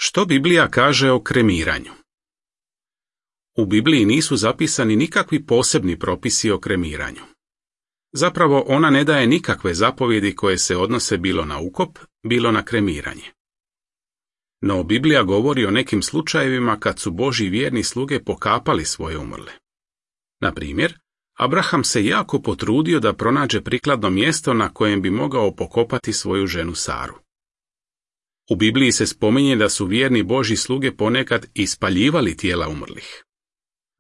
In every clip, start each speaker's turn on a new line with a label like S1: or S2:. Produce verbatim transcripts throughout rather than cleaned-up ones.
S1: Što Biblija kaže o kremiranju? U Bibliji nisu zapisani nikakvi posebni propisi o kremiranju. Zapravo ona ne daje nikakve zapovjedi koje se odnose bilo na ukop, bilo na kremiranje. No Biblija govori o nekim slučajevima kad su Božji vjerni sluge pokapali svoje umrle. Na primjer, Abraham se jako potrudio da pronađe prikladno mjesto na kojem bi mogao pokopati svoju ženu Saru. U Bibliji se spominje da su vjerni Božji sluge ponekad ispaljivali tijela umrlih.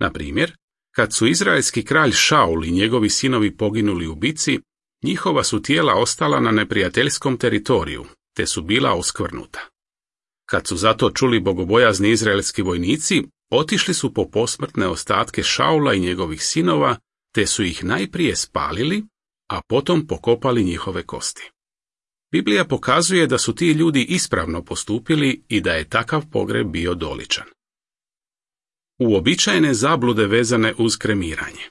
S1: Na primjer, kad su izraelski kralj Šaul i njegovi sinovi poginuli u bici, njihova su tijela ostala na neprijateljskom teritoriju, te su bila oskvrnuta. Kad su zato čuli bogobojazni izraelski vojnici, otišli su po posmrtne ostatke Šaula i njegovih sinova, te su ih najprije spalili, a potom pokopali njihove kosti. Biblija pokazuje da su ti ljudi ispravno postupili i da je takav pogreb bio doličan. Uobičajene zablude vezane uz kremiranje.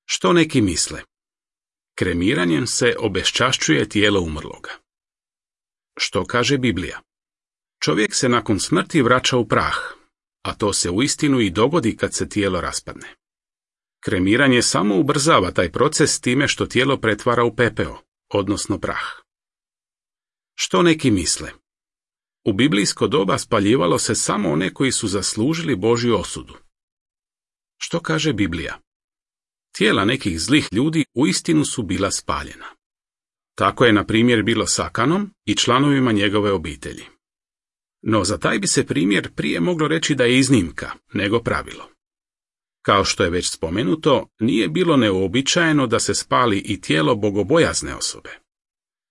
S1: Što neki misle? Kremiranjem se obeščašćuje tijelo umrloga. Što kaže Biblija? Čovjek se nakon smrti vraća u prah, a to se uistinu i dogodi kad se tijelo raspadne. Kremiranje samo ubrzava taj proces time što tijelo pretvara u pepeo, odnosno prah. Što neki misle? U biblijsko doba spaljivalo se samo one koji su zaslužili Božju osudu. Što kaže Biblija? Tijela nekih zlih ljudi uistinu su bila spaljena. Tako je na primjer bilo s Akanom i članovima njegove obitelji. No za taj bi se primjer prije moglo reći da je iznimka, nego pravilo. Kao što je već spomenuto, nije bilo neuobičajeno da se spali i tijelo bogobojazne osobe.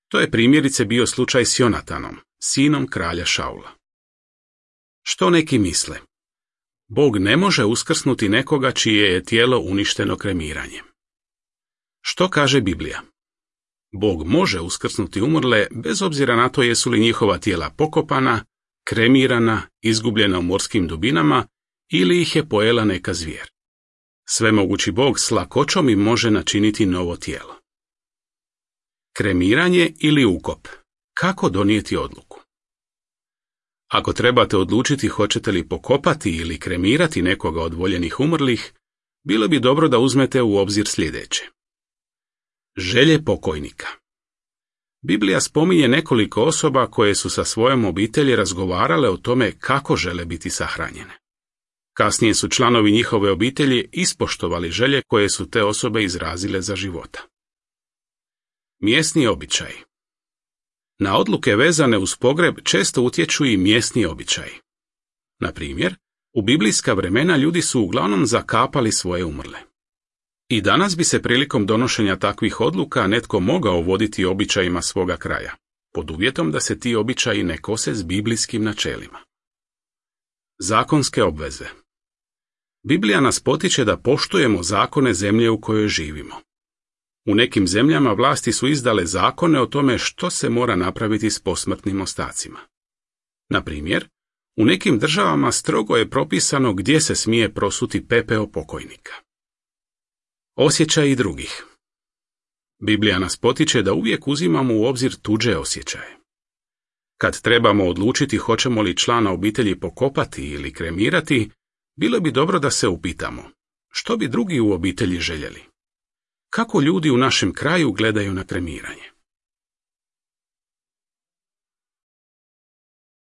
S1: To je primjerice bio slučaj s Jonatanom, sinom kralja Šaula. Što neki misle? Bog ne može uskrsnuti nekoga čije je tijelo uništeno kremiranjem. Što kaže Biblija? Bog može uskrsnuti umrle bez obzira na to jesu li njihova tijela pokopana, kremirana, izgubljena u morskim dubinama ili ih je pojela neka zvijer. Svemogući Bog s lakoćom im može načiniti novo tijelo. Kremiranje ili ukop. Kako donijeti odluku? Ako trebate odlučiti hoćete li pokopati ili kremirati nekoga od voljenih umrlih, bilo bi dobro da uzmete u obzir sljedeće. Želje pokojnika. Biblija spominje nekoliko osoba koje su sa svojom obitelji razgovarale o tome kako žele biti sahranjene. Kasnije su članovi njihove obitelji ispoštovali želje koje su te osobe izrazile za života. Mjesni običaji. Na odluke vezane uz pogreb često utječu i mjesni običaji. Na primjer, u biblijska vremena ljudi su uglavnom zakapali svoje umrle. I danas bi se prilikom donošenja takvih odluka netko mogao voditi običajima svoga kraja, pod uvjetom da se ti običaji ne kose s biblijskim načelima. Zakonske obveze. Biblija nas potiče da poštujemo zakone zemlje u kojoj živimo. U nekim zemljama vlasti su izdale zakone o tome što se mora napraviti s posmrtnim ostacima. Na primjer, u nekim državama strogo je propisano gdje se smije prosuti pepeo pokojnika. Osjećaji drugih. Biblija nas potiče da uvijek uzimamo u obzir tuđe osjećaje. Kad trebamo odlučiti hoćemo li člana obitelji pokopati ili kremirati, bilo bi dobro da se upitamo, što bi drugi u obitelji željeli? Kako ljudi u našem kraju gledaju na kremiranje?